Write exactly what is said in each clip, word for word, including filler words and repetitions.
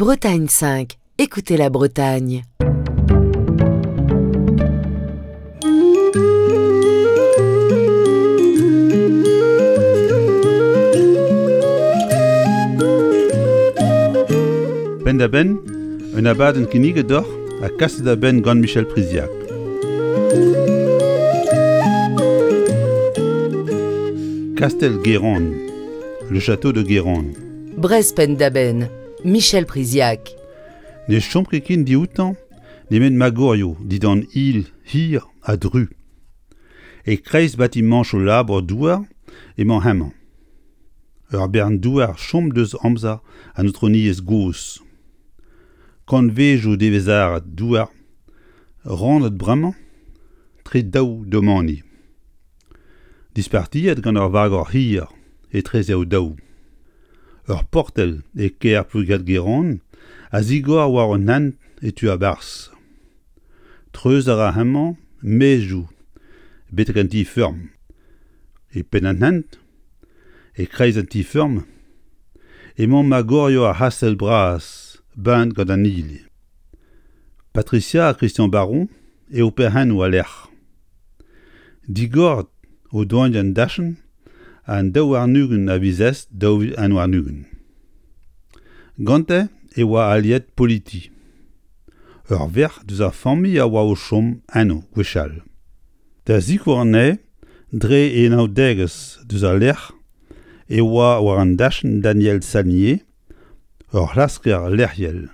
Bretagne cinq, écoutez la Bretagne. Penn-da-benn, un abadenn kinniget deoc'h ha kaset da benn gant Michel Priziac. Kastell Guérande, le château de Guérande. Breizh penn-da-benn, Michel Priziac. Ne chom ket ken dioutañ nemet magorioù dindan il hir ha dru. E-kreiz batimañchoù labour douar emañ hemañ. Ur bern douar chom deus amzer an aotrouniezh gozh. Kantvedoù devezharet douar rannet bremañ tre daou domani. Dispartiet gant ur vagor hir etreze o daou. Ur portell e kêr Plouigat-Guérande a zigor war un hent e tu a-barzh. Treuz a ra hemañ maezioù betek an ti-feurm. E penn an hent, e-kreiz an ti-feurm, emañ magorioù ar c'hastell bras baent gant an hil. Patricia ha Christian Baron eo perc'hennoù al lec'h. Digoret o doaint an dachenn an daou warn-ugent a viz East daou vil un warn-ugent. Gante e oa Aliette Politi. Ur verc'h deus ar familh a oa o chom eno gwechall. Da sikour anezhe dre e anaoudegezh deus al lec'h e oa war an dachenn Daniel Salnier, ur c'hlasker lec'hiel.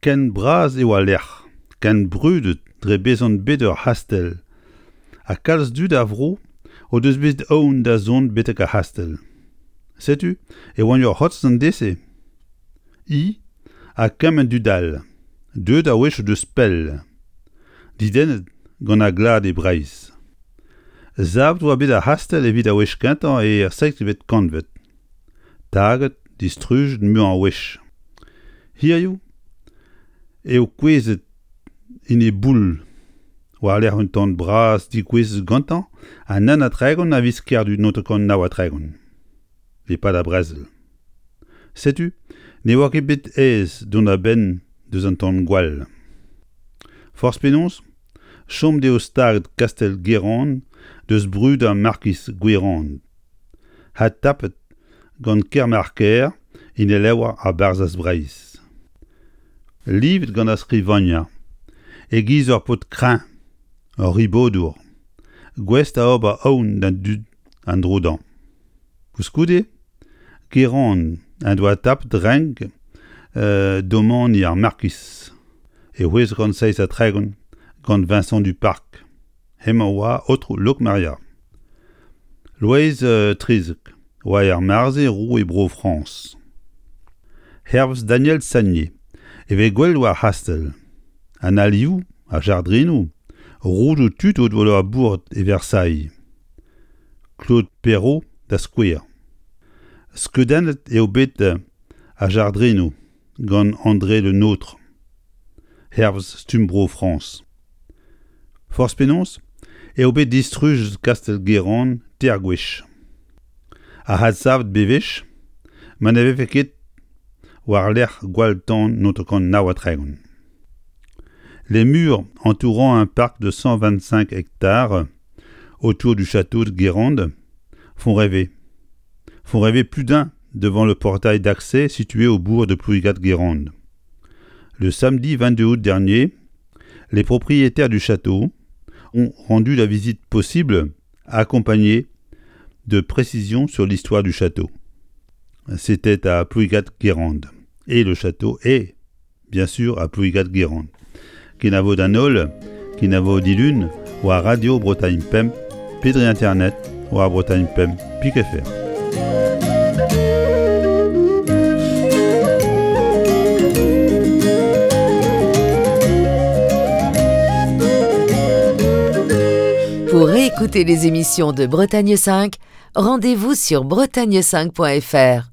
Ken bras eo al lec'h, ken brudet dre bezañ bet ur c'hastell, ha kalz dud a vro o deus bet aon da zont betek ar c'hastell. Setu e oant ur c'hotz an deiz-se. I ha kement dud all, deuet a-wechoù deus pell, didennet gant ar glad e Breizh. Savet oa bet ar c'hastell evit ar wech kentañ er seizhvet kantved. Taget, distrujet muiañ a wech. Hiziv eo kouezhet en e boull war-lerc'h un tan bras degouezhet gantañ an un ha tregont a viz Kerdu naontek kant nav ha tregont. E-pad ar brezel. Setu ne oa ket bet aes dont a-benn deus an tan-gwall. Forzh penaos, chom dezho staget kastell Guérande deus brud ar markiz Gwerand. Ha tapet gant Kermarker en e levr ar Barzhaz Breizh. Livet gant ar skrivagner, e-giz ur paotr kreñv, ur ribodour, gouest da ober aon d'an dud an dro dezhañ. Koulskoude, Guérande en doa tapet renk euh, domani ar markiz e c'hwezek kant seizh ha tregont gant Vincent Duparc. Hemañ oa aotrou Lokmaria. Loeiz euh, trizek oa er mare-se roue Bro-Frañs. Hervez Daniel Sagnier e vez gwell war ar c'hastell. An alioù, ar jardrinoù, roudoù tud o doa labouret e Versailles. Claude Perrault da skouer. Skeudennet eo bet ar jardrinoù gant André Le Nôtre, hervez stumm Bro-Frañs. Forzh penaos eo bet distrujet kastell Guérande teir gwech. Ha adsavet bewech ma ne vefe ket war-lerc'h gwall-tan naontek kant nav ha tregont. Les murs entourant un parc de cent vingt-cinq hectares autour du château de Guérande font rêver. Font rêver plus d'un devant le portail d'accès situé au bourg de Plouigat-Guérande. Le samedi vingt-deux août dernier, les propriétaires du château ont rendu la visite possible, accompagnée de précisions sur l'histoire du château. C'était à Plouigat-Guérande. Et le château est, bien sûr, à Plouigat-Guérande. Kenavo d'an holl, kenavo dilun, war Radio Bretagne Pemp, pe dre internet, war Bretagne Pemp, pik F R. Pour réécouter les émissions de Bretagne cinq, rendez-vous sur bretagne cinq point F R.